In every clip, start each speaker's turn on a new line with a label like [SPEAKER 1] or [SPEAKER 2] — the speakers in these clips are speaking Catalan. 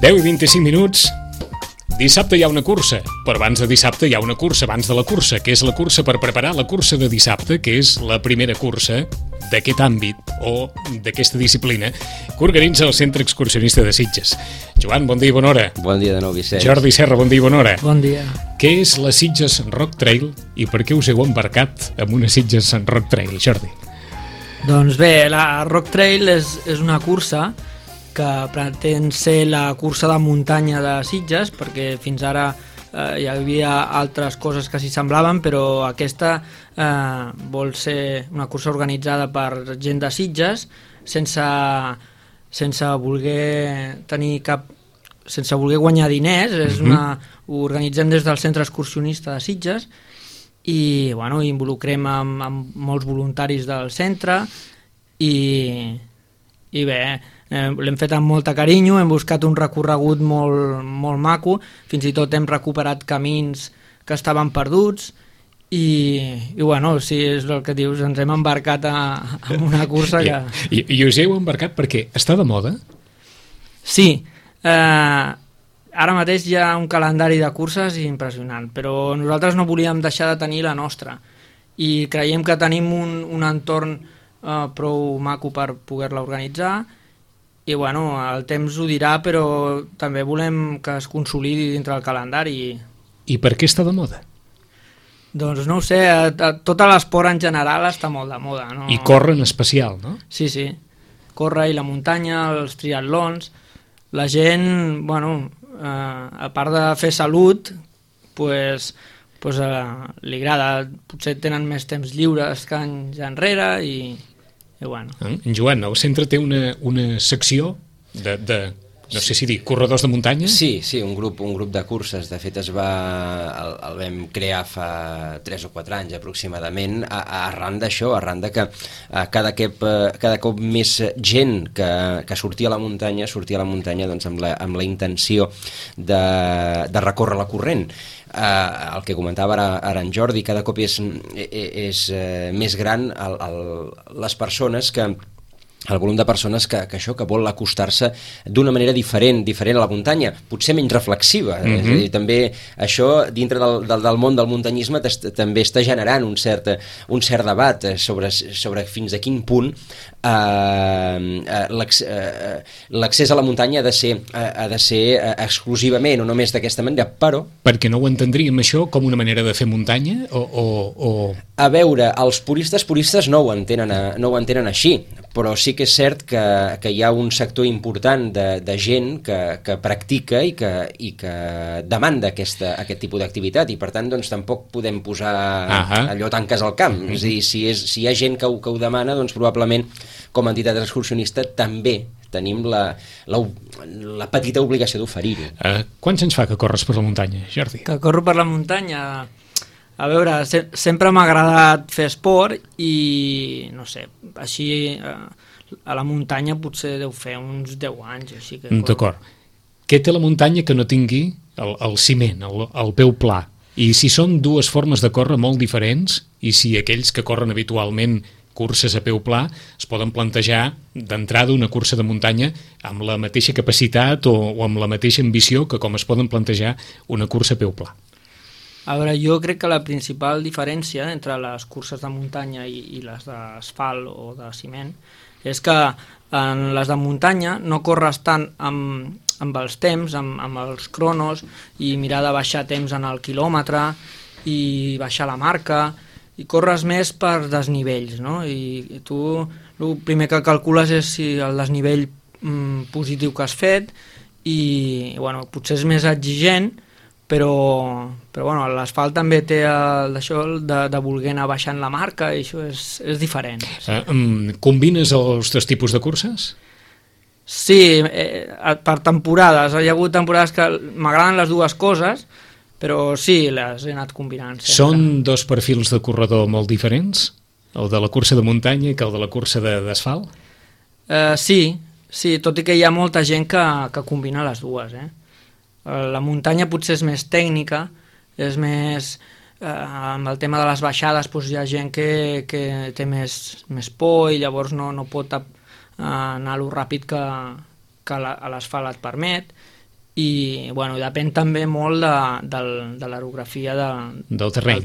[SPEAKER 1] 10:25. Dissabte hi ha una cursa, però abans de dissabte hi ha una cursa abans de la cursa, que és la cursa per preparar la cursa de dissabte, que és la primera cursa d'aquest àmbit o d'aquesta disciplina que organitza el Centre Excursionista de Sitges. Joan, bon dia i bona hora.
[SPEAKER 2] Bon dia de nou, Vicenç.
[SPEAKER 1] Jordi Serra, bon dia i bona hora.
[SPEAKER 3] Bon dia.
[SPEAKER 1] Què és la Sitges Rock Trail i per què us heu embarcat amb una Sitges Rock Trail, Jordi?
[SPEAKER 3] Doncs bé, la Rock Trail és una cursa que pretén ser la cursa de muntanya de Sitges, perquè fins ara hi havia altres coses que s'hi semblaven, però aquesta vol ser una cursa organitzada per gent de Sitges sense voler tenir sense voler guanyar diners. Ho organitzem des del Centre Excursionista de Sitges i involucrem amb molts voluntaris del centre i bé, l'hem fet amb molt carinyo, hem buscat un recorregut molt maco, fins i tot hem recuperat camins que estaven perduts i sí, és el que dius, ens hem embarcat en una cursa que...
[SPEAKER 1] I us heu embarcat perquè està de moda?
[SPEAKER 3] Sí, ara mateix hi ha un calendari de curses impressionant, però nosaltres no volíem deixar de tenir la nostra i creiem que tenim un entorn prou maco per poder-la organitzar i el temps ho dirà, però també volem que es consolidi dintre el calendari.
[SPEAKER 1] I per què està de moda?
[SPEAKER 3] Doncs no ho sé, tot l'esport en general està molt de moda, no?
[SPEAKER 1] I córrer en especial, no?
[SPEAKER 3] Sí, córrer i la muntanya, els triatlons, la gent, a part de fer salut, li agrada, potser tenen més temps lliures que anys enrere i
[SPEAKER 1] En Joan, el centre té una secció de no sé si dir, corredors de muntanya?
[SPEAKER 2] Sí, un grup de curses. De fet, el vam crear fa 3 o 4 anys aproximadament, arran d'això, arran de que cada cop més gent que sortia a la muntanya doncs, amb la intenció de recórrer la corrent. El que comentava ara en Jordi, cada cop és més gran les persones el volum de persones que vol acostar-se d'una manera diferent a la muntanya, potser menys reflexiva. És a dir, també això dintre del món del muntanyisme també està generant un cert debat sobre fins a quin punt l'accés a la muntanya ha de ser exclusivament o només d'aquesta manera, però...
[SPEAKER 1] Perquè no ho entendríem això com una manera de fer muntanya?
[SPEAKER 2] A veure, els puristes no ho entenen així, però sí que és cert que hi ha un sector important de gent que practica i que demanda aquest tipus d'activitat i per tant doncs tampoc podem posar allò tanques al camp. És a dir, si hi ha gent que ho demana, doncs probablement com a entitat excursionista també tenim la petita obligació d'oferir-ho.
[SPEAKER 1] Quants anys fa que corres per la muntanya, Jordi?
[SPEAKER 3] Que corro per la muntanya... A veure, sempre m'ha agradat fer esport i, no sé, així a la muntanya potser deu fer uns 10 anys. Així que...
[SPEAKER 1] D'acord. Què té la muntanya que no tingui el ciment, el peu pla? I si són dues formes de córrer molt diferents i si aquells que corren habitualment curses a peu pla es poden plantejar d'entrada una cursa de muntanya amb la mateixa capacitat o amb la mateixa ambició que com es poden plantejar una cursa a peu pla?
[SPEAKER 3] A veure, jo crec que la principal diferència entre les curses de muntanya i les d'asfalt o de ciment és que en les de muntanya no corres tant amb els temps, amb els cronos i mirar de baixar temps en el quilòmetre i baixar la marca i corres més per desnivells, no? I tu el primer que calcules és si el desnivell positiu que has fet i potser és més exigent, però l'asfalt també té això de voler anar baixant la marca i això és diferent.
[SPEAKER 1] Combines els dos tipus de curses?
[SPEAKER 3] Sí, per temporades. Hi ha hagut temporades que m'agraden les dues coses, però sí, les he anat combinant sempre.
[SPEAKER 1] Són dos perfils de corredor molt diferents? El de la cursa de muntanya que el de la cursa d'asfalt?
[SPEAKER 3] Sí, tot i que hi ha molta gent que combina les dues, La muntanya potser és més tècnica, és més... amb el tema de les baixades hi ha gent que té més por i llavors no pot anar lo ràpid que l'asfalt et permet i bueno, depèn també molt de l'orografia
[SPEAKER 1] del terreny.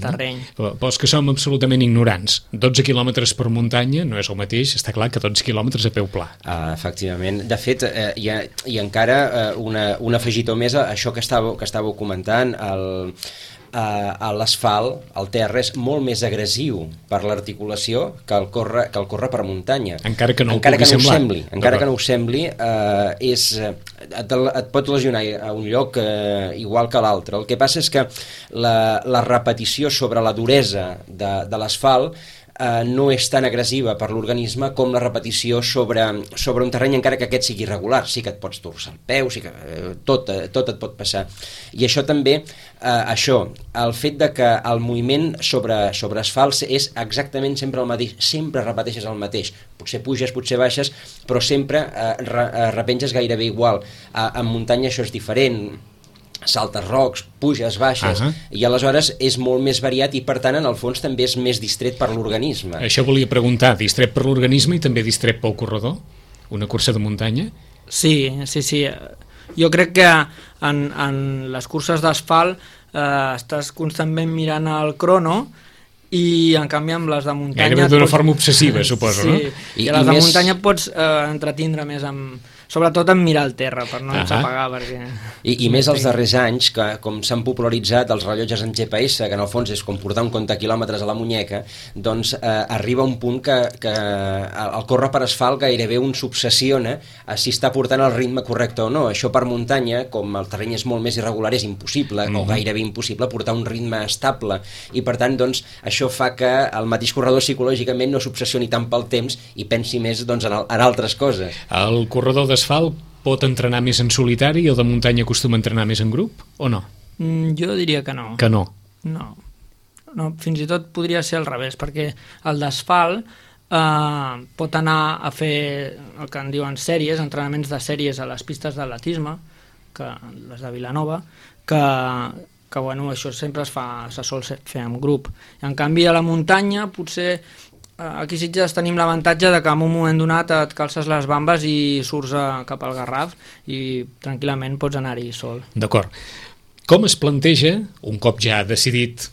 [SPEAKER 1] Però és que som absolutament ignorants. 12 quilòmetres per muntanya no és el mateix, està clar, que 12 quilòmetres a peu pla.
[SPEAKER 2] Efectivament. De fet, hi ha encara un afegitó més a això que estàveu comentant, l'asfalt, el terra, és molt més agressiu per l'articulació que el córrer per muntanya.
[SPEAKER 1] Encara que no ho
[SPEAKER 2] sembli. Et pot lesionar a un lloc igual que l'altre. El que passa és que la repetició sobre la duresa de l'asfalt no és tan agressiva per l'organisme com la repetició sobre un terreny, encara que aquest sigui irregular. Sí que et pots torçar el peu, sí que tot et pot passar. I això també, el fet de que el moviment sobre asfalt és exactament sempre el mateix, sempre repeteixes el mateix. Potser puges, potser baixes, però sempre repenges gairebé igual. En muntanya això és diferent, saltes rocs, puges, baixes, i aleshores és molt més variat i per tant en el fons també és més distret per l'organisme.
[SPEAKER 1] Això volia preguntar, distret per l'organisme i també distret pel corredor? Una cursa de muntanya?
[SPEAKER 3] Sí. Jo crec que en les curses d'asfalt estàs constantment mirant el crono i en canvi amb les de muntanya...
[SPEAKER 1] Gairebé d'una forma obsessiva, suposo, no?
[SPEAKER 3] I les de muntanya pots entretindre més sobretot en mirar el terra, per no enxapegar, perquè...
[SPEAKER 2] I més els darrers anys, que com s'han popularitzat els rellotges en GPS, que en el fons és com portar un comptaquilòmetres a la muñeca, doncs arriba un punt que el córrer per asfalt gairebé un s'obsessiona a si està portant el ritme correcte o no. Això per muntanya, com el terreny és molt més irregular, és impossible, o gairebé impossible, portar un ritme estable, i per tant, doncs, això fa que el mateix corredor psicològicament no s'obsessioni tant pel temps i pensi més en altres coses.
[SPEAKER 1] El corredor d'asfalt pot entrenar més en solitari i el de muntanya acostuma a entrenar més en grup, o no?
[SPEAKER 3] Jo diria que no.
[SPEAKER 1] Que no?
[SPEAKER 3] No, fins i tot podria ser al revés, perquè el d'asfalt pot anar a fer el que en diuen sèries, entrenaments de sèries a les pistes d'atletisme, les de Vilanova, que bueno, això sempre se sol fer en grup. En canvi, a la muntanya, potser aquí a Sitges tenim l'avantatge de que en un moment donat et calces les bambes i surts cap al Garraf i tranquil·lament pots anar-hi sol.
[SPEAKER 1] D'acord. Com es planteja, un cop ja decidit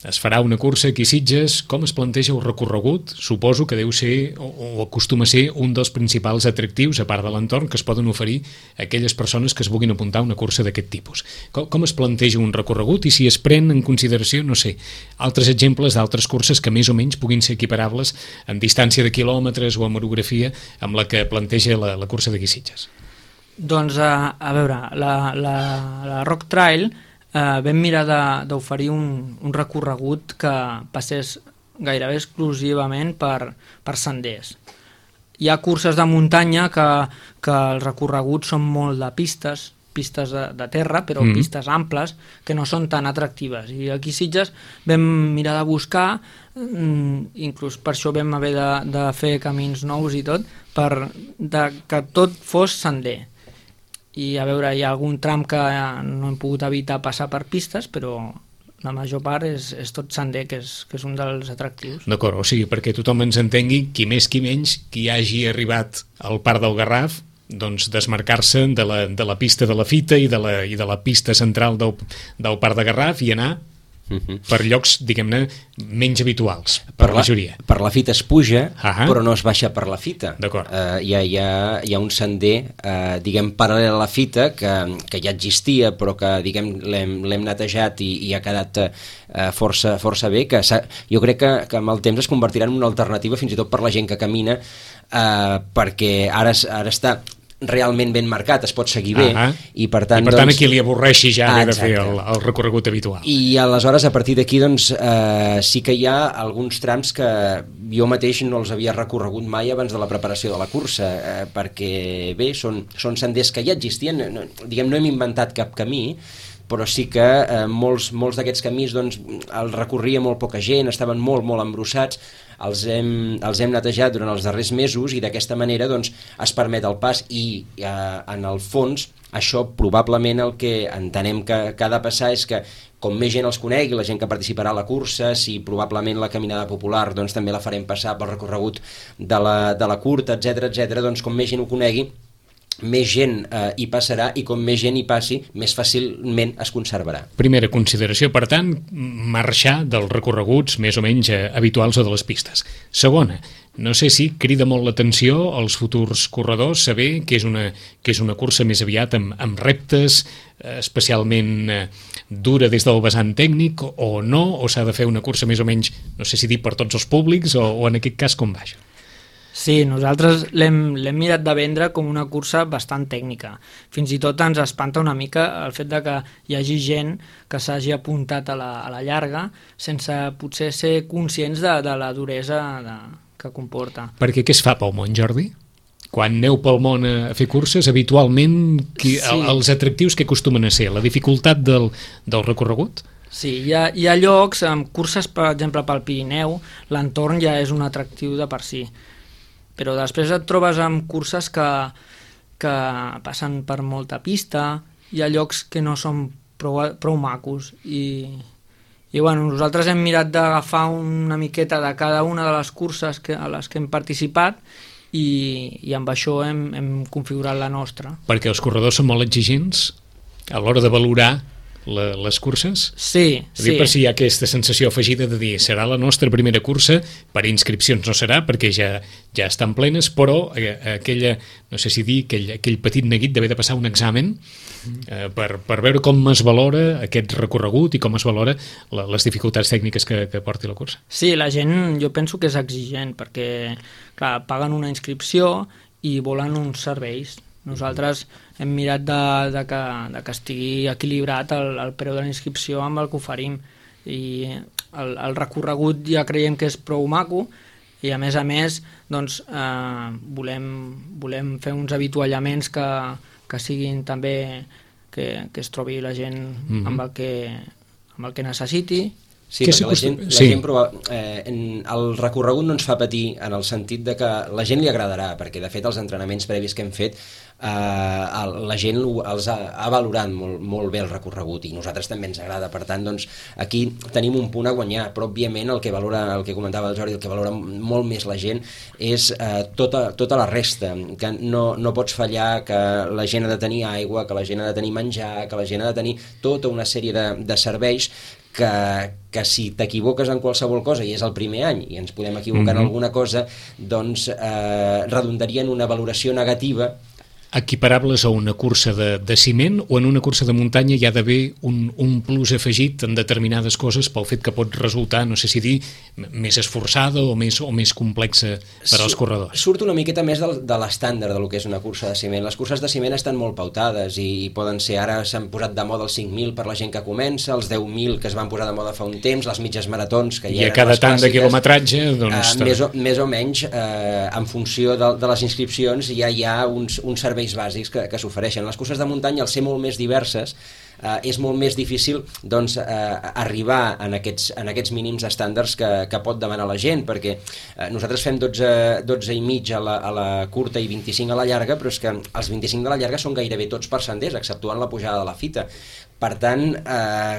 [SPEAKER 1] es farà una cursa aquí a Sitges, com es planteja el recorregut? Suposo que deu ser, o acostuma a ser, un dels principals atractius, a part de l'entorn, que es poden oferir a aquelles persones que es vulguin apuntar a una cursa d'aquest tipus. Com es planteja un recorregut i si es pren en consideració, no sé, altres exemples d'altres curses que més o menys puguin ser equiparables en distància de quilòmetres o en orografia amb la que planteja la cursa d'aquí a Sitges?
[SPEAKER 3] Doncs, a veure, la Rock Trail vam mirar d'oferir un recorregut que passés gairebé exclusivament per senders. Hi ha curses de muntanya que els recorreguts són molt de pistes de terra, però pistes amples, que no són tan atractives. I aquí a Sitges vam mirar de buscar, inclús per això vam haver de fer camins nous i tot, que tot fos sender. I a veure, hi ha algun tram que no hem pogut evitar passar per pistes, però la major part és tot sender, que és un dels atractius.
[SPEAKER 1] D'acord, o sigui, perquè tothom ens entengui, qui més qui menys, qui hagi arribat al Parc del Garraf, doncs desmarcar-se de la pista de la Fita i de la pista central del Parc de Garraf i anar per llocs, diguem-ne, menys habituals per la majoria.
[SPEAKER 2] Per la Fita es puja, però no es baixa per la Fita.
[SPEAKER 1] D'acord.
[SPEAKER 2] Hi ha un sender, diguem, paral·lel a la Fita, que ja existia, però que, diguem, l'hem netejat i ha quedat força bé, que jo crec que amb el temps es convertirà en una alternativa fins i tot per la gent que camina, perquè ara està realment ben marcat, es pot seguir bé i per tant
[SPEAKER 1] a qui li avorreixi ja haver de fer el recorregut habitual.
[SPEAKER 2] I aleshores a partir d'aquí doncs sí que hi ha alguns trams que jo mateix no els havia recorregut mai abans de la preparació de la cursa, perquè bé, són senders que ja existien, diguem, no hem inventat cap camí, però sí que molts d'aquests camins doncs, els recorria molt poca gent, estaven molt embrossats, els hem netejat durant els darrers mesos i d'aquesta manera doncs, es permet el pas i en el fons això probablement el que entenem que ha de passar és que com més gent els conegui, la gent que participarà a la cursa, si probablement la caminada popular doncs, també la farem passar pel recorregut de la curta, etc., doncs com més gent ho conegui, més gent hi passarà, i com més gent hi passi, més fàcilment es conservarà.
[SPEAKER 1] Primera consideració, per tant, marxar dels recorreguts més o menys habituals o de les pistes. Segona, no sé si crida molt l'atenció als futurs corredors saber que és una cursa més aviat amb reptes, especialment dura des del vessant tècnic, o no, o s'ha de fer una cursa més o menys, no sé si dir per tots els públics, o en aquest cas com va això?
[SPEAKER 3] Sí, nosaltres l'hem mirat de vendre com una cursa bastant tècnica. Fins i tot ens espanta una mica el fet de que hi hagi gent que s'hagi apuntat a la llarga sense potser ser conscients de la duresa que comporta.
[SPEAKER 1] Perquè què es fa pel món, Jordi? Quan aneu pel món a fer curses, habitualment els atractius que acostumen a ser? La dificultat del recorregut?
[SPEAKER 3] Sí, hi ha llocs, amb curses, per exemple, pel Pirineu, l'entorn ja és un atractiu de per si. Però després et trobes amb curses que passen per molta pista, hi ha llocs que no són prou macos, i bueno, nosaltres hem mirat d'agafar una miqueta de cada una de les curses a les que hem participat, i amb això hem configurat la nostra.
[SPEAKER 1] Perquè els corredors són molt exigents a l'hora de valorar les curses?
[SPEAKER 3] Sí, sí.
[SPEAKER 1] Per si hi ha aquesta sensació afegida de dir serà la nostra primera cursa, per inscripcions no serà perquè ja estan plenes, però aquella, no sé si dir, aquell petit neguit d'haver de passar un examen per veure com es valora aquest recorregut i com es valora les dificultats tècniques que porti la cursa.
[SPEAKER 3] Sí, la gent jo penso que és exigent perquè, clar, paguen una inscripció i volen uns serveis. Nosaltres hem mirat de que estigui equilibrat el preu de la inscripció amb el que oferim, i el recorregut ja creiem que és prou maco, i a més doncs, volem fer uns avituallaments que siguin també que es trobi la gent amb el que necessiti.
[SPEAKER 2] Sí, perquè la gent el recorregut no ens fa patir en el sentit de que la gent li agradarà, perquè de fet els entrenaments previs que hem fet la gent els ha valorat molt bé el recorregut, i nosaltres també ens agrada. Per tant, doncs, aquí tenim un punt a guanyar, però òbviament el que comentava el Jordi, el que valora molt més la gent és tota la resta, que no pots fallar, que la gent ha de tenir aigua, que la gent ha de tenir menjar, que la gent ha de tenir tota una sèrie de serveis que si t'equivoques en qualsevol cosa, i és el primer any i ens podem equivocar en alguna cosa, doncs redundaria en una valoració negativa.
[SPEAKER 1] Equiparables a una cursa de ciment, o en una cursa de muntanya hi ha d'haver un plus afegit en determinades coses pel fet que pot resultar, no sé si dir, més esforçada o més complexa per als corredors?
[SPEAKER 2] Surt una miqueta més de l'estàndard del que és una cursa de ciment. Les curses de ciment estan molt pautades i poden ser, ara s'han posat de moda els 5.000 per la gent que comença, els 10.000 que es van posar de moda fa un temps, les mitges maratons que
[SPEAKER 1] I a cada tant de quilometratge, doncs...
[SPEAKER 2] Més o menys, en funció de les inscripcions, ja hi ha uns serveis bàsics que s'ofereixen. Les curses de muntanya, al ser molt més diverses, és molt més difícil doncs, arribar en aquests mínims estàndards que pot demanar la gent, perquè nosaltres fem 12 i mig a la curta i 25 a la llarga, però és que els 25 de la llarga són gairebé tots per senders, exceptuant la pujada de la fita. Per tant,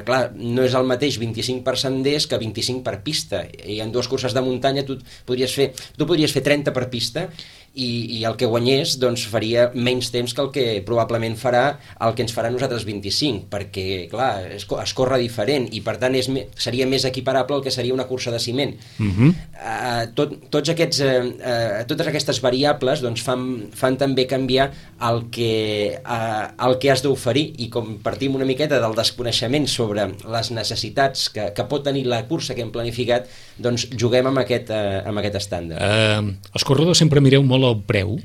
[SPEAKER 2] clar, no és el mateix 25 per senders que 25 per pista, i en dues curses de muntanya tu podries fer 30 per pista, i el que guanyés doncs, faria menys temps que el que probablement farà el que ens farà nosaltres 25, perquè clar, es corre diferent, i per tant seria més equiparable al que seria una cursa de ciment. Totes aquestes variables doncs, fan també canviar el que has d'oferir, i com partim una miqueta del desconeixement sobre les necessitats que pot tenir la cursa que hem planificat, doncs juguem amb aquest estàndard.
[SPEAKER 1] Els corredors sempre mireu molt el preu,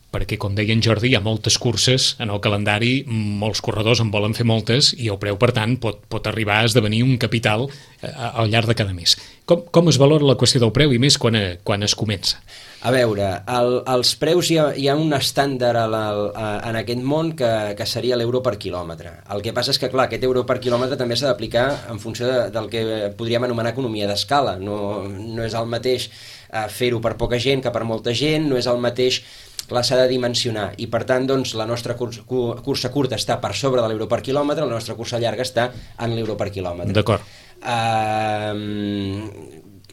[SPEAKER 1] perquè com deia en Jordi, hi ha moltes curses en el calendari, molts corredors en volen fer moltes, i el preu, per tant, pot arribar a esdevenir un capital al llarg de cada mes. Com es valora la qüestió del preu, i més quan es comença?
[SPEAKER 2] A veure, els preus hi ha un estàndard en aquest món que seria l'euro per quilòmetre. El que passa és que, clar, aquest euro per quilòmetre també s'ha d'aplicar en funció del que podríem anomenar economia d'escala. No és el mateix fer-ho per poca gent que per molta gent, no és el mateix, clar, s'ha de dimensionar, i per tant doncs, la nostra cursa curta està per sobre de l'euro per quilòmetre, la nostra cursa llarga està en l'euro per quilòmetre.
[SPEAKER 1] D'acord.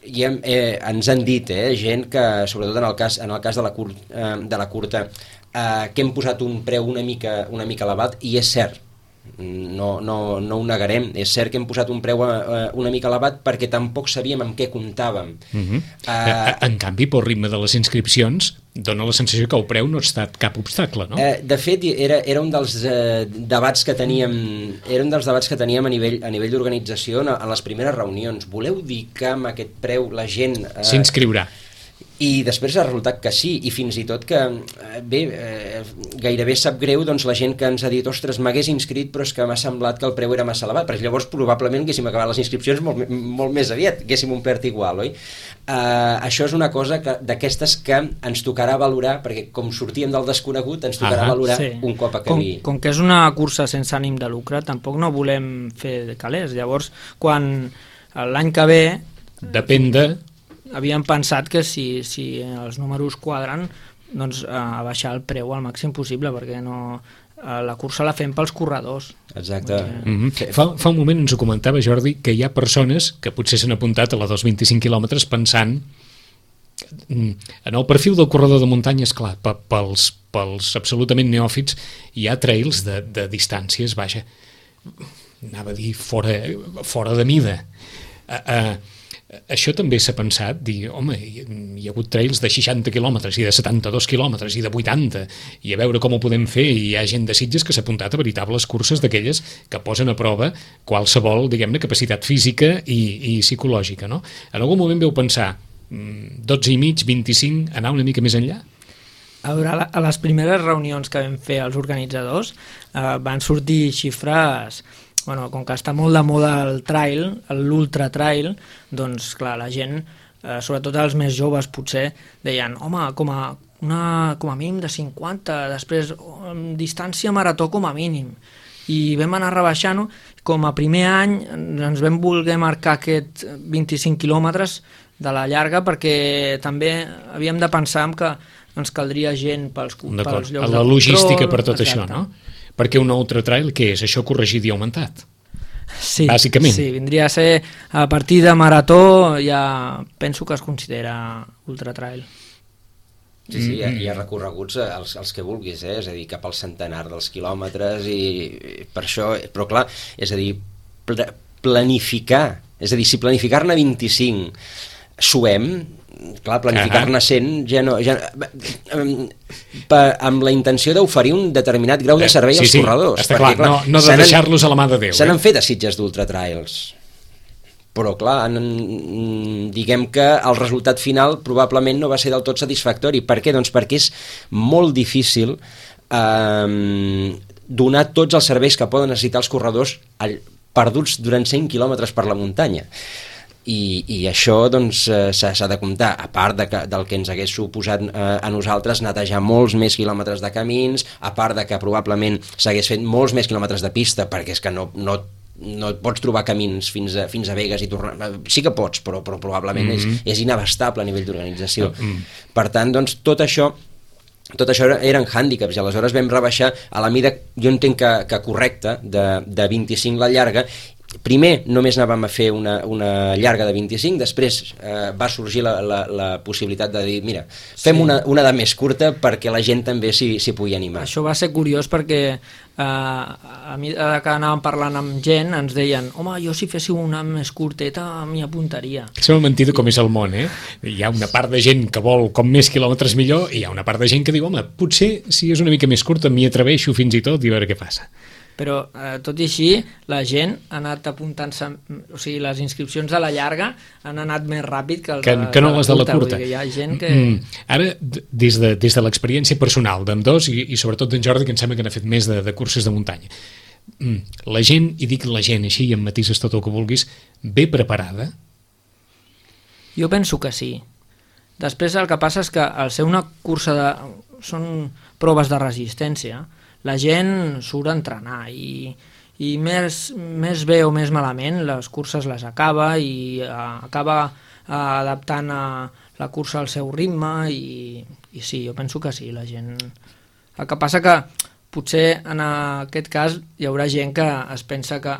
[SPEAKER 2] ens han dit gent que, sobretot en el cas de la curta, que hem posat un preu una mica elevat, i és cert, no ho negarem, és cert que hem posat un preu una mica elevat perquè tampoc sabíem amb què comptàvem.
[SPEAKER 1] En canvi, pel ritme de les inscripcions dona la sensació que el preu no ha estat cap obstacle, no?
[SPEAKER 2] De fet, era un dels debats que teníem a nivell d'organització en les primeres reunions. Voleu dir que amb aquest preu la gent
[SPEAKER 1] s'inscriurà?
[SPEAKER 2] I després ha resultat que sí, i fins i tot que gairebé sap greu doncs, la gent que ens ha dit ostres, m'hagués inscrit però és que m'ha semblat que el preu era massa elevat, perquè llavors probablement haguéssim acabat les inscripcions molt més aviat, haguéssim omplert igual, oi? Això és una cosa d'aquestes que ens tocarà valorar, perquè com sortíem del desconegut ens tocarà valorar un cop acabi.
[SPEAKER 3] Com que és una cursa sense ànim de lucre, tampoc no volem fer calés. Llavors, quan l'any que ve...
[SPEAKER 1] Depèn de...
[SPEAKER 3] Havíem pensat que si els números quadren, doncs abaixar el preu al màxim possible, perquè la cursa la fem pels corredors.
[SPEAKER 2] Exacte.
[SPEAKER 1] Fa un moment ens ho comentava, Jordi, que hi ha persones que potser s'han apuntat a la dels 25 quilòmetres pensant en el perfil del corredor de muntanya. És clar, pels absolutament neòfits hi ha trails de distàncies, vaja, anava a dir fora de mida. Això també s'ha pensat, dir, home, hi ha hagut trails de 60 quilòmetres i de 72 quilòmetres i de 80, i a veure com ho podem fer, i hi ha gent de Sitges que s'ha apuntat a veritables curses d'aquelles que posen a prova qualsevol, diguem-ne, capacitat física i psicològica, no? En algun moment veu pensar 12 i mig, 25, anar una mica més enllà?
[SPEAKER 3] A veure, a les primeres reunions que vam fer els organitzadors van sortir xifres... Bueno, com que està molt de moda el trail, l'ultra trail, doncs clar, la gent, sobretot els més joves potser, deien, home, com a mínim de 50, després distància marató com a mínim. I vam anar rebaixant-ho, com a primer any ens vam voler marcar aquest 25 quilòmetres de la llarga, perquè també havíem de pensar que ens caldria gent pels llocs de control.
[SPEAKER 1] La logística per tot això, no? Perquè un ultra trail, què és? Això corregit i augmentat?
[SPEAKER 3] Sí,
[SPEAKER 1] bàsicament.
[SPEAKER 3] Sí, vindria a ser a partir de marató, ja penso que es considera ultra trail.
[SPEAKER 2] Sí, hi ha recorreguts els que vulguis, és a dir, cap al centenar dels quilòmetres, i per això, però clar, és a dir, planificar, és a dir, si planificar-ne 25 suem, clar, planificar-ne 100 ja no, amb la intenció d'oferir un determinat grau de servei als corredors.
[SPEAKER 1] Està clar, no de deixar-los a la mà de Déu.
[SPEAKER 2] Se n'han fet a Sitges d'ultratrails, però clar, diguem que el resultat final probablement no va ser del tot satisfactori. Per què? Doncs perquè és molt difícil donar tots els serveis que poden necessitar els corredors perduts durant 100 quilòmetres per la muntanya. I això doncs s'ha de comptar, a part del que ens hagués suposat a nosaltres netejar molts més quilòmetres de camins, a part de que probablement s'hagués fet molts més quilòmetres de pista, perquè és que no et pots trobar camins fins a Begues i tornar. Sí que pots, però probablement és inabastable a nivell d'organització. Per tant, doncs, tot això eren hàndicaps, i aleshores vam rebaixar a la mida, jo entenc que correcta, de 25 la llarga. Primer només anàvem a fer una llarga de 25, després va sorgir la possibilitat de dir, mira, fem una de més curta perquè la gent també s'hi pugui animar.
[SPEAKER 3] Això va ser curiós perquè a mesura que anàvem parlant amb gent ens deien, home, jo si féssiu una més curteta m'hi apuntaria.
[SPEAKER 1] Sembla mentida com és el món, eh? Hi ha una part de gent que vol com més quilòmetres millor, i hi ha una part de gent que diu, home, potser si és una mica més curta m'hi atreveixo fins i tot i a veure què passa.
[SPEAKER 3] Però tot i així la gent ha anat apuntant-se, o sigui, les inscripcions de la llarga han anat més ràpid que
[SPEAKER 1] no les de la curta.
[SPEAKER 3] Hi ha gent que...
[SPEAKER 1] Ara, des de l'experiència personal d'ambdós, i sobretot d'en Jordi, que em sembla que n'ha fet més de curses de muntanya, la gent, i dic la gent així i em matises tot el que vulguis, ve preparada?
[SPEAKER 3] Jo penso que sí. Després el que passa és que al ser una cursa són proves de resistència, la gent surt a entrenar i més bé o més malament les curses les acaba i acaba adaptant a la cursa al seu ritme i sí, jo penso que sí, la gent... El que passa que potser en aquest cas hi haurà gent que es pensa que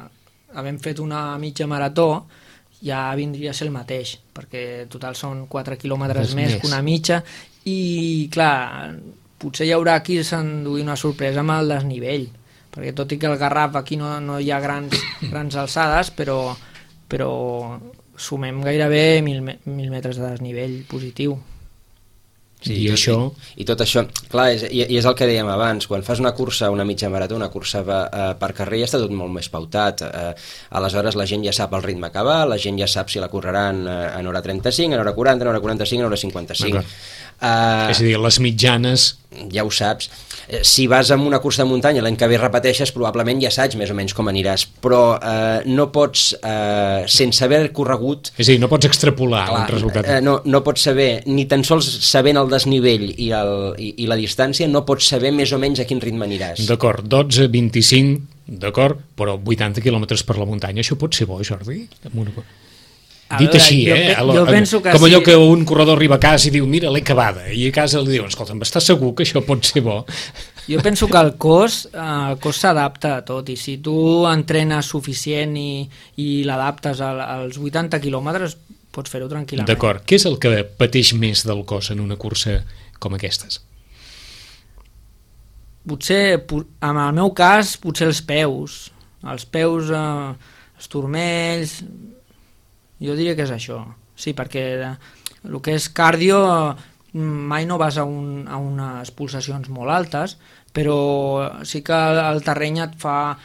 [SPEAKER 3] havent fet una mitja marató ja vindria a ser el mateix, perquè total són 4 quilòmetres
[SPEAKER 1] Més.
[SPEAKER 3] més que una mitja, i clar, potser hi haurà qui s'enduir una sorpresa amb el desnivell, perquè tot i que el Garraf aquí no hi ha grans alçades, però sumem gairebé 1.000 metres de desnivell positiu.
[SPEAKER 2] Sí,
[SPEAKER 1] I això...
[SPEAKER 2] I tot això, clar, i és el que dèiem abans, quan fas una cursa, una mitja marató, una cursa per carrer, ja està tot molt més pautat. Aleshores la gent ja sap el ritme que va, la gent ja sap si la correran en hora 35, en hora 40, en hora 45, en hora 55.
[SPEAKER 1] És a dir, les mitjanes...
[SPEAKER 2] Ja ho saps. Si vas amb una cursa de muntanya, l'any que ve repeteixes, probablement ja saps més o menys com aniràs, però no pots, sense haver corregut...
[SPEAKER 1] És a dir, no pots extrapolar un resultat.
[SPEAKER 2] No pots saber, ni tan sols sabent el desnivell i la distància, no pots saber més o menys a quin ritme aniràs.
[SPEAKER 1] D'acord, 12, 25, d'acord, però 80 quilòmetres per la muntanya, això pot ser bo, Jordi? Dit així,
[SPEAKER 3] jo penso que
[SPEAKER 1] com allò
[SPEAKER 3] sí.
[SPEAKER 1] que un corredor arriba a casa i diu, mira, l'he acabada, i a casa li diuen, escolta, estàs segur que això pot ser bo?
[SPEAKER 3] Jo penso que el cos s'adapta a tot, i si tu entrenes suficient i l'adaptes als 80 quilòmetres, pots fer-ho tranquil·lament.
[SPEAKER 1] D'acord, què és el que pateix més del cos en una cursa com aquestes?
[SPEAKER 3] Potser, en el meu cas, potser els peus, els turmells... Jo diria que és això, sí, perquè el que és cardio mai no vas a unes pulsacions molt altes, però sí que el terreny et fa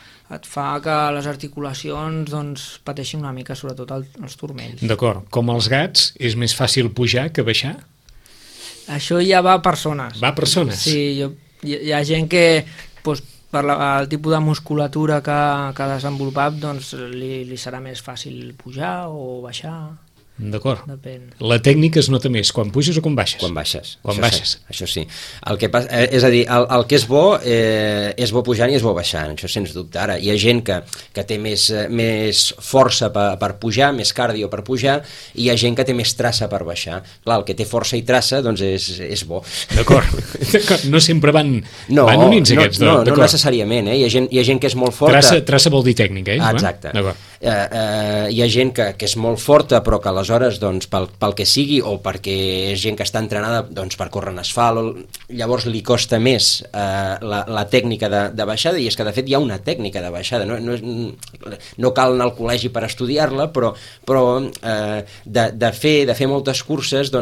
[SPEAKER 3] que les articulacions doncs, pateixin una mica, sobretot els turmells.
[SPEAKER 1] D'acord, com els gats, és més fàcil pujar que baixar?
[SPEAKER 3] Això ja va a persones.
[SPEAKER 1] Va a persones?
[SPEAKER 3] Sí, hi ha gent que... Doncs, per el tipus de musculatura que ha desenvolupat, doncs li serà més fàcil pujar o baixar.
[SPEAKER 1] D'acord.
[SPEAKER 3] Depèn.
[SPEAKER 1] La tècnica es nota més quan puges o quan baixes?
[SPEAKER 2] Quan baixes.
[SPEAKER 1] Quan baixes.
[SPEAKER 2] Això sí. El que passa, és a dir, el que és bo pujant i és bo baixant, això sens dubte. Ara, hi ha gent que té més força per pujar, més cardio per pujar, i hi ha gent que té més traça per baixar. Clar, el que té força i traça, doncs és bo.
[SPEAKER 1] D'acord. No sempre van units aquests dos.
[SPEAKER 2] No necessàriament, Hi ha gent que és molt forta.
[SPEAKER 1] Traça vol dir tècnica,
[SPEAKER 2] Exacte. Hi ha gent que és molt forta, però que aleshores, doncs, pel que sigui, o perquè és gent que està entrenada doncs, per córrer en asfalt, llavors li costa més la tècnica de baixada, i és que de fet hi ha una tècnica de baixada, no cal anar al col·legi per estudiar-la, però de fer moltes curses, o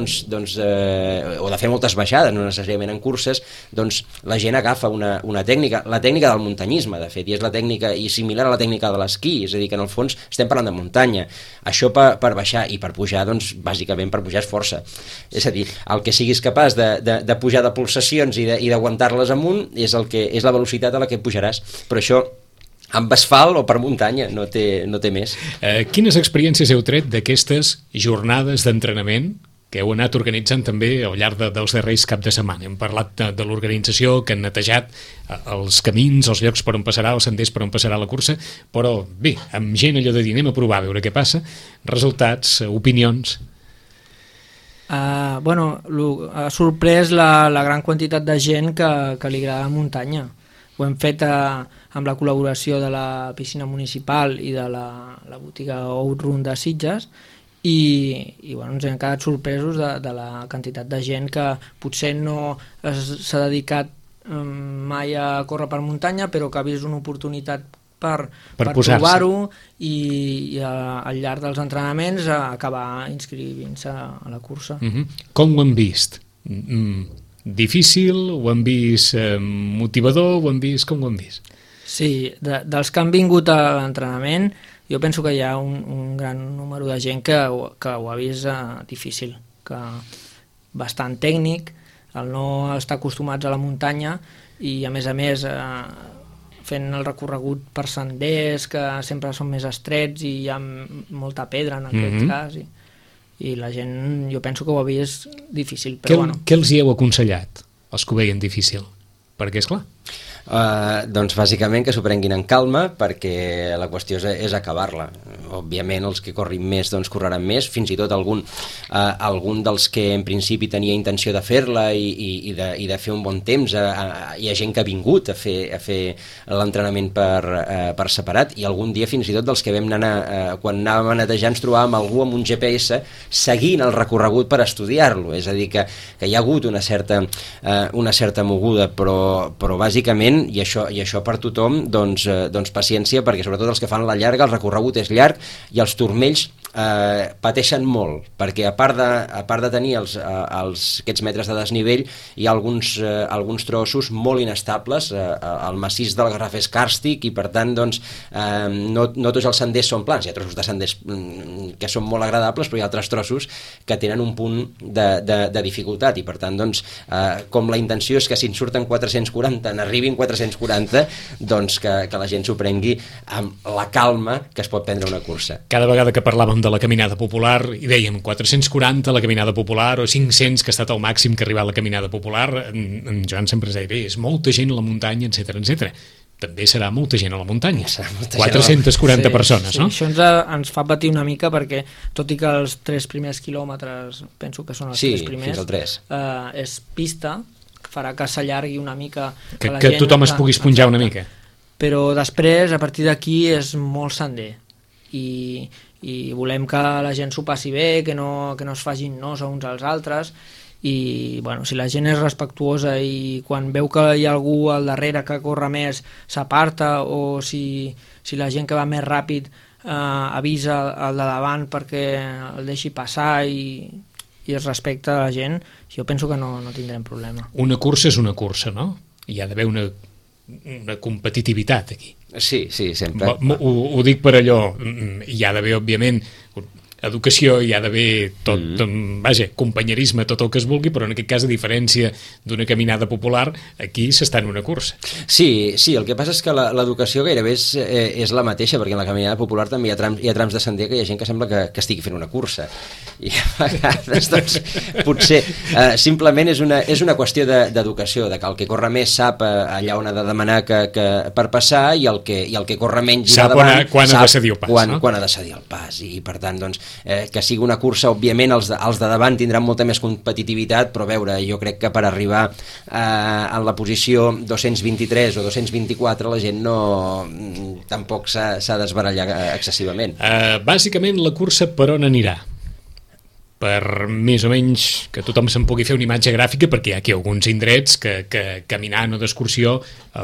[SPEAKER 2] de fer moltes baixades, no necessàriament en curses, doncs la gent agafa una tècnica, la tècnica del muntanyisme, de fet, i és la tècnica i similar a la tècnica de l'esquí, és a dir, que en el fons estem parlant de muntanya. Això per baixar, i per pujar, doncs, bàsicament per pujar és força. És a dir, el que siguis capaç de pujar de pulsacions i d'aguantar-les amunt és la velocitat a la que pujaràs. Però això, amb asfalt o per muntanya, no té més.
[SPEAKER 1] Quines experiències heu tret d'aquestes jornades d'entrenament que heu anat organitzant també al llarg dels darrers cap de setmana? Hem parlat de l'organització, que han netejat els camins, els llocs per on passarà, els senders per on passarà la cursa, però bé, amb gent allò de dir, anem a provar, a veure què passa, resultats, opinions...
[SPEAKER 3] Ha sorprès la gran quantitat de gent que li agrada la muntanya. Ho hem fet amb la col·laboració de la piscina municipal i de la botiga Outrun de Sitges, i ens hem quedat sorpresos de la quantitat de gent que potser no s'ha dedicat mai a córrer per muntanya, però que ha vist una oportunitat per provar-ho i al llarg dels entrenaments acabar inscrivint-se a la cursa.
[SPEAKER 1] Com ho han vist? Difícil? Ho han vist motivador? Com ho han vist?
[SPEAKER 3] Sí, dels que han vingut a l'entrenament, jo penso que hi ha un gran número de gent que ho ha vist difícil, que bastant tècnic, el no estar acostumats a la muntanya, i a més fent el recorregut per senders que sempre són més estrets i hi ha molta pedra en aquest cas, i la gent jo penso que ho ha vist difícil, però
[SPEAKER 1] Què els hi heu aconsellat, els que ho veien difícil? Perquè, esclar...
[SPEAKER 2] Doncs bàsicament que s'ho prenguin en calma, perquè la qüestió és acabar-la. Òbviament els que corrin més doncs correran més, fins i tot algun dels que en principi tenia intenció de fer-la i de fer un bon temps, hi ha gent que ha vingut a fer l'entrenament per separat, i algun dia fins i tot dels que vam anar, quan anàvem a netejar ens trobàvem algú amb un GPS seguint el recorregut per estudiar-lo, és a dir que hi ha hagut una certa moguda, però bàsicament, i això per tothom, doncs paciència, perquè sobretot els que fan la llarga, el recorregut és llarg i els turmells pateixen molt, perquè a part de tenir aquests metres de desnivell, hi ha alguns trossos molt inestables, el massís del Garraf és càrstic i per tant doncs, no tots els senders són plans, hi ha trossos de senders que són molt agradables, però hi ha altres trossos que tenen un punt de dificultat, i per tant doncs, com la intenció és que si en surten 440 n'arribin 440, doncs que la gent s'ho prengui amb la calma que es pot prendre una cursa.
[SPEAKER 1] Cada vegada que parlàvem de la caminada popular i dèiem 440 la caminada popular o 500 que ha estat el màxim que ha arribat la caminada popular, en Joan sempre es deia, bé, és molta gent a la muntanya, etc. També serà molta gent a la muntanya. 440 persones, no?
[SPEAKER 3] Sí, això ens fa patir una mica perquè, tot i que els 3 primers quilòmetres, penso que són els 3 primers,
[SPEAKER 2] fins al 3.
[SPEAKER 3] És pista, farà que s'allargui una mica,
[SPEAKER 1] que tothom es pugui esponjar una mica.
[SPEAKER 3] Però després, a partir d'aquí, és molt sender i volem que la gent s'ho passi bé, que no es facin nos a uns als altres, i bueno, si la gent és respectuosa i quan veu que hi ha algú al darrere que corre més s'aparta, o si la gent que va més ràpid avisa al de davant perquè el deixi passar i es respecta la gent, jo penso que no tindrem problema.
[SPEAKER 1] Una cursa és una cursa, no? Hi ha d'haver una competitivitat aquí.
[SPEAKER 2] Sí, sempre.
[SPEAKER 1] Ho dic per allò, hi ha d'haver, òbviament, educació, hi ha d'haver tot, vaja, companyerisme, tot el que es vulgui, però en aquest cas, a diferència d'una caminada popular, aquí s'està en una cursa.
[SPEAKER 2] Sí, el que passa és que l'educació gairebé és la mateixa, perquè en la caminada popular també hi ha trams de sender que hi ha gent que sembla que estigui fent una cursa, i a vegades doncs, potser simplement és una qüestió d'educació, de que el que corre més sap allà on ha de demanar per passar, i el que corre menys
[SPEAKER 1] sap quan ha de cedir el pas,
[SPEAKER 2] quan ha de cedir el pas, i per tant doncs que sigui una cursa, òbviament els de davant tindran molta més competitivitat, però veure, jo crec que per arribar en la posició 223 o 224 la gent tampoc s'ha d'esbarallar excessivament.
[SPEAKER 1] Bàsicament la cursa per on anirà? Per més o menys que tothom se'n pugui fer una imatge gràfica, perquè hi ha aquí alguns indrets que caminant o d'excursió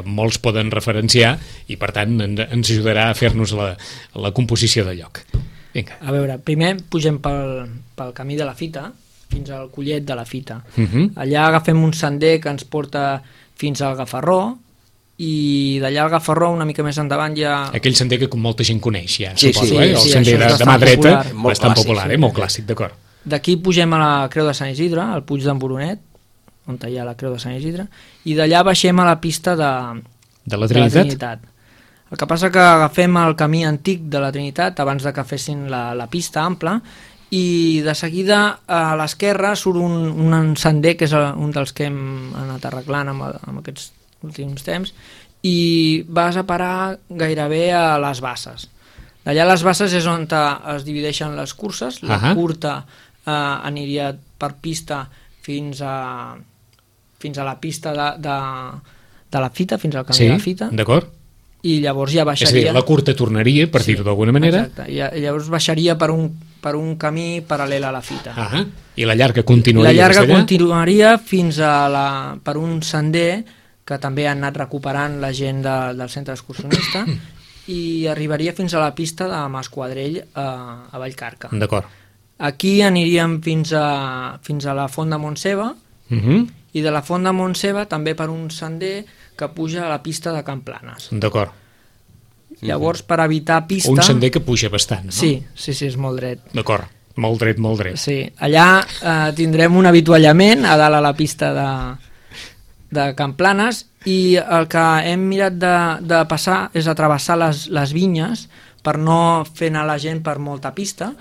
[SPEAKER 1] molts poden referenciar, i per tant ens ajudarà a fer-nos la composició de lloc. Vinga.
[SPEAKER 3] A veure, primer pugem pel camí de la Fita fins al Collet de la Fita. Allà agafem un sender que ens porta fins al Gafarró, i d'allà al Gafarró una mica més endavant hi ha...
[SPEAKER 1] Aquell sender que molta gent coneix ja,
[SPEAKER 2] suposo,
[SPEAKER 1] el sender de mà dreta, bastant popular, molt clàssic, d'acord.
[SPEAKER 3] D'aquí pugem a la Creu de Sant Isidre, al Puig d'en Boronet, on hi ha la Creu de Sant Isidre, i d'allà baixem a la pista de la Trinitat. El que passa que agafem el camí antic de la Trinitat abans de que fessin la pista ampla, i de seguida a l'esquerra surt un sender que és un dels que hem anat arreglant amb aquests últims temps, i vas a parar gairebé a les Basses. D'allà a les Basses és on es divideixen les curses. La curta aniria per pista fins a la pista de la Fita, fins al camí de la Fita.
[SPEAKER 1] D'acord.
[SPEAKER 3] I llavors ja baixaria...
[SPEAKER 1] És a dir, la curta tornaria, per dir-ho d'alguna manera.
[SPEAKER 3] Exacte, i llavors baixaria per un camí paral·lel a la Fita.
[SPEAKER 1] I la llarga continuaria?
[SPEAKER 3] La llarga continuaria fins per un sender que també han anat recuperant la gent del centre excursionista, i arribaria fins a la pista de Masquadrell a Vallcarca.
[SPEAKER 1] D'acord.
[SPEAKER 3] Aquí aniríem fins a la Font de Montseba, i de la Font de Montseba també per un sender que puja a la pista de Can Planes.
[SPEAKER 1] D'acord.
[SPEAKER 3] Llavors, per evitar pista...
[SPEAKER 1] Un sender que puja bastant, no?
[SPEAKER 3] Sí, és molt dret.
[SPEAKER 1] D'acord, molt dret.
[SPEAKER 3] Sí, allà tindrem un avituallament a dalt a la pista de Can Planes, i el que hem mirat de passar és a travessar les vinyes per no fer anar la gent per molta pista.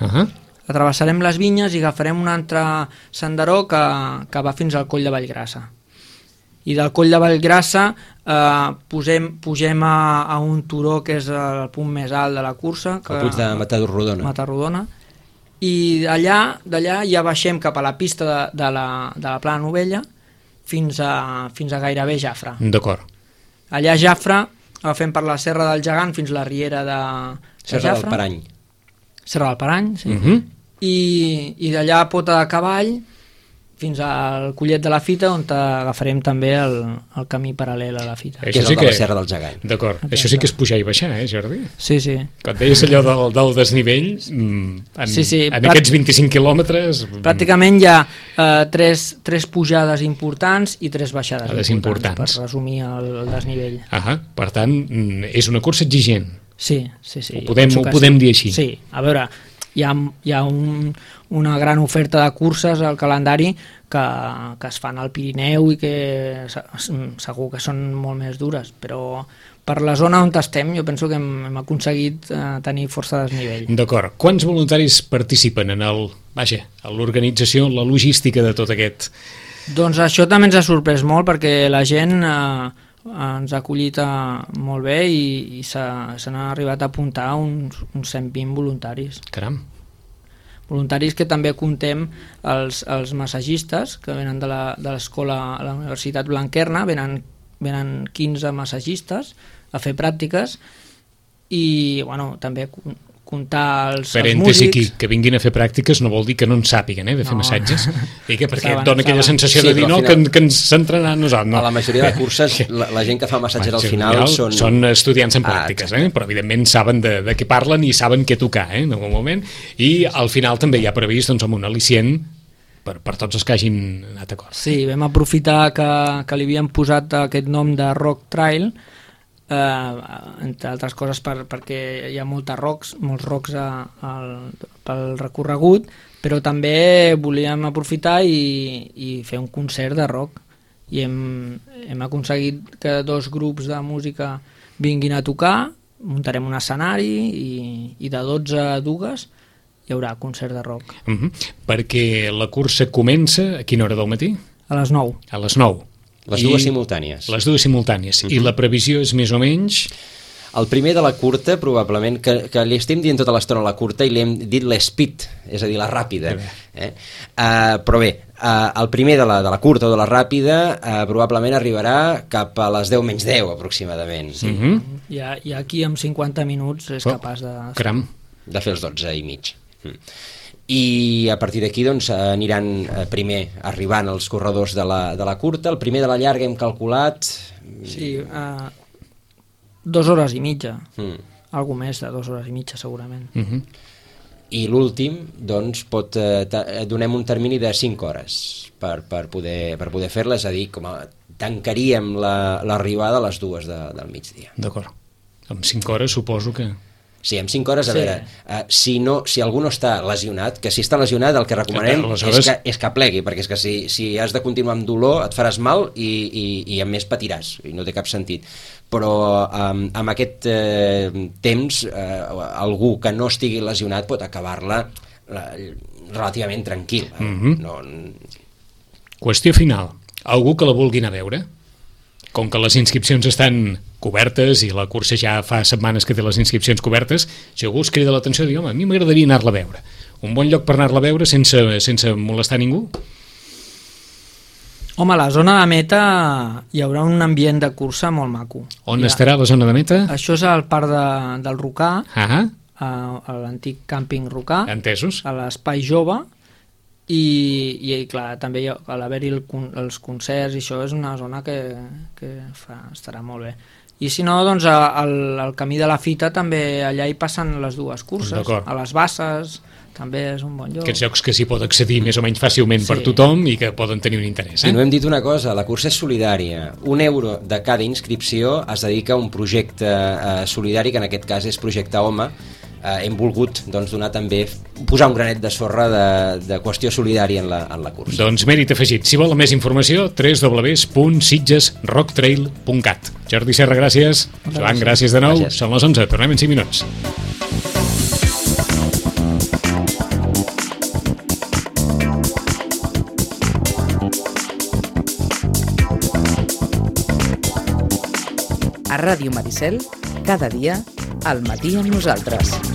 [SPEAKER 3] Atravessarem les vinyes i agafarem un altre senderó que va fins al Coll de Vallgrassa. I del Coll de Vallgrassa pugem a un turó que és el punt més alt de la cursa,
[SPEAKER 2] el puig de
[SPEAKER 3] Matarrodona, i d'allà ja baixem cap a la pista de la Plana Novella fins a gairebé Jafre.
[SPEAKER 1] D'acord.
[SPEAKER 3] Allà a Jafre agafem per la Serra del Gegant fins a la riera de
[SPEAKER 2] Serra
[SPEAKER 3] Jafre.
[SPEAKER 2] del Parany.
[SPEAKER 3] Serra del Parany, sí. I d'allà a Pota de Cavall fins al Collet de la Fita, on agafarem també el camí paral·lel a la Fita.
[SPEAKER 2] Que és el de la Serra del Gegant.
[SPEAKER 1] D'acord. Això sí que és pujar i baixar, Jordi?
[SPEAKER 3] Sí.
[SPEAKER 1] Quan deies allò del desnivell, en aquests 25 quilòmetres...
[SPEAKER 3] Pràcticament hi ha tres pujades importants i 3 baixades importants, per resumir el desnivell.
[SPEAKER 1] Per tant, és una cursa exigent.
[SPEAKER 3] Sí.
[SPEAKER 1] Ho podem dir així.
[SPEAKER 3] Sí, a veure, hi ha una gran oferta de curses al calendari que es fan al Pirineu i que segur que són molt més dures, però per la zona on estem jo penso que hem aconseguit tenir força desnivell.
[SPEAKER 1] D'acord. Quants voluntaris participen en l'organització, en la logística de tot aquest?
[SPEAKER 3] Doncs això també ens ha sorprès molt perquè la gent ens ha acollit molt bé i s'han arribat a apuntar uns 120 voluntaris.
[SPEAKER 1] Caram!
[SPEAKER 3] Voluntaris que també comptem els massagistes que venen de l'escola a la Universitat Blanquerna, venen 15 massagistes a fer pràctiques i també comptar els músics.
[SPEAKER 1] Que vinguin a fer pràctiques no vol dir que no en sàpiguen de fer massatges, perquè et dona aquella sensació de dir que ens s'entrenaran nosaltres.
[SPEAKER 2] A la majoria de curses la gent que fa massatges al final
[SPEAKER 1] són estudiants en pràctiques, però evidentment saben de què parlen i saben què tocar en algun moment, i al final també hi ha previst un al·licient per tots els que hagin anat a cor.
[SPEAKER 3] Sí, vam aprofitar que li havíem posat aquest nom de Rock Trail, entre altres coses perquè hi ha molts rocks pel recorregut, però també volíem aprofitar i fer un concert de rock i hem aconseguit que 2 grups de música vinguin a tocar, muntarem un escenari i de 12 a 2 hi haurà concert de rock.
[SPEAKER 1] Perquè la cursa comença a quina hora del matí?
[SPEAKER 3] A les 9.
[SPEAKER 1] A les 9.
[SPEAKER 2] Les dues simultànies.
[SPEAKER 1] Les dues simultànies. I la previsió és més o menys...
[SPEAKER 2] El primer de la curta, probablement, que li estem dient tota l'estona la curta i li hem dit l'speed, és a dir, la ràpida. Però bé, el primer de la curta o de la ràpida probablement arribarà cap a les 10 menys 10, aproximadament.
[SPEAKER 3] I aquí amb 50 minuts és capaç
[SPEAKER 2] de fer els 12 i mig. I a partir d'aquí aniran primer arribant els corredors de la curta. El primer de la llarga hem calculat...
[SPEAKER 3] Sí, 2 hores i mitja. Algo més de 2 hores i mitja, segurament.
[SPEAKER 2] I l'últim, donem un termini de 5 hores per poder fer-la, és a dir, tancaríem l'arribada a les 2 del migdia.
[SPEAKER 1] D'acord. Amb 5 hores suposo que...
[SPEAKER 2] Sí, en 5 hores, a veure, si algú no està lesionat, que si està lesionat el que recomanem és que plegui, perquè és que si has de continuar amb dolor et faràs mal i a més patiràs, i no té cap sentit. Però amb aquest temps algú que no estigui lesionat pot acabar-la relativament tranquil.
[SPEAKER 1] Qüestió final. Algú que la vulgui anar a veure? Com que les inscripcions estan cobertes i la cursa ja fa setmanes que té les inscripcions cobertes, si algú es crida l'atenció i diu, a mi m'agradaria anar-la a veure. Un bon lloc per anar-la a veure sense molestar ningú?
[SPEAKER 3] Home, a la zona de meta hi haurà un ambient de cursa molt maco.
[SPEAKER 1] On estarà la zona de meta?
[SPEAKER 3] Això és al parc del Rocà, a l'antic càmping Rocà,
[SPEAKER 1] entesos,
[SPEAKER 3] a l'espai jove, i clar, també a l'haver-hi els concerts i això és una zona que estarà molt bé. I si no, doncs al camí de la Fita també allà hi passen les 2 curses, a les Basses també és un bon lloc.
[SPEAKER 1] Aquests llocs que s'hi pot accedir més o menys fàcilment per tothom i que poden tenir un interès.
[SPEAKER 2] I no hem dit una cosa, la cursa és solidària. €1 de cada inscripció es dedica a un projecte solidari, que en aquest cas és Projecte Home. Hem volgut donar també, posar un granet de sorra de qüestió solidària en la cursa.
[SPEAKER 1] Doncs mèrit afegit. Si volen més informació, www.sitgesrocktrail.cat. Jordi Serra, gràcies. Joan, gràcies de nou. Són les 11, tornem en 5 minuts.
[SPEAKER 4] A Ràdio Maricel, cada dia, al matí amb nosaltres.